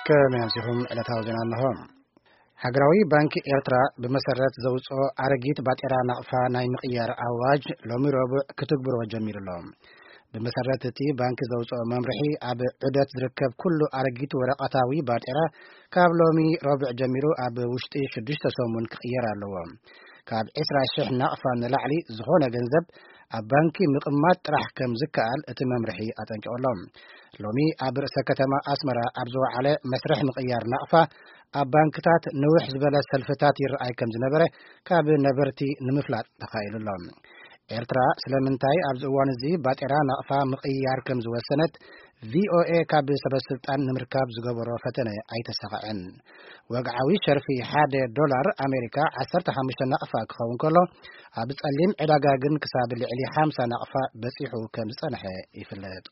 ከመይ ኣምሲኹም? ዕለታዊ ዜና ኣለኹም። ሃገራዊ ባንኪ ኤርትራ ብመሰረት ዘውፅኦ ኣረጊት ባጤራ ናቕፋ ናይ ምቕያር ኣዋጅ ሎሚ ረቡዕ ክትግብሮ ጀሚሩ ኣሎ። ብመሰረት እቲ ባንኪ ዘውፅኦ መምርሒ፣ ኣብ ዑደት ዝርከብ ኩሉ ኣረጊት ወረቐታዊ ባጤራ ካብ ሎሚ ረቡዕ ጀሚሩ ኣብ ውሽጢ ሽዱሽተ ሰሙን ክቕየር ኣለዎ። ካብ ዕስራ ሽሕ ናቕፋ ንላዕሊ ዝኾነ ገንዘብ ኣብ ባንኪ ምቕማጥ ጥራሕ ከም ዝከኣል እቲ መምርሒ ኣጠንቂቑ ኣሎ። ሎሚ ኣብ ርእሰ ከተማ ኣስመራ ኣብ ዝወዓለ መስርሕ ምቕያር ናቕፋ፣ ኣብ ባንክታት ንውሕ ዝበለ ሰልፍታት ይረኣይ ከም ዝነበረ ካብ ነበርቲ ንምፍላጥ ተኻኢሉ ኣሎ። ኤርትራ ስለምንታይ ኣብዚ እዋን እዚ ባጤራ ናቕፋ ምቕያር ከም ዝወሰነት፣ ቪ ኦ ኤ ካብ ሰበ ስልጣን ንምርካብ ዝገበሮ ፈተነ ኣይተሳኸዐን። ወግዓዊ ሸርፊ ሓደ ዶላር ኣሜሪካ ዓሰርተ ሓሙሽተ ናቕፋ ክኸውን ከሎ፣ ኣብ ጸሊም ዕዳጋ ግን ክሳብ ልዕሊ ሓምሳ ናቕፋ በጺሑ ከም ዝጸንሐ ይፍለጥ።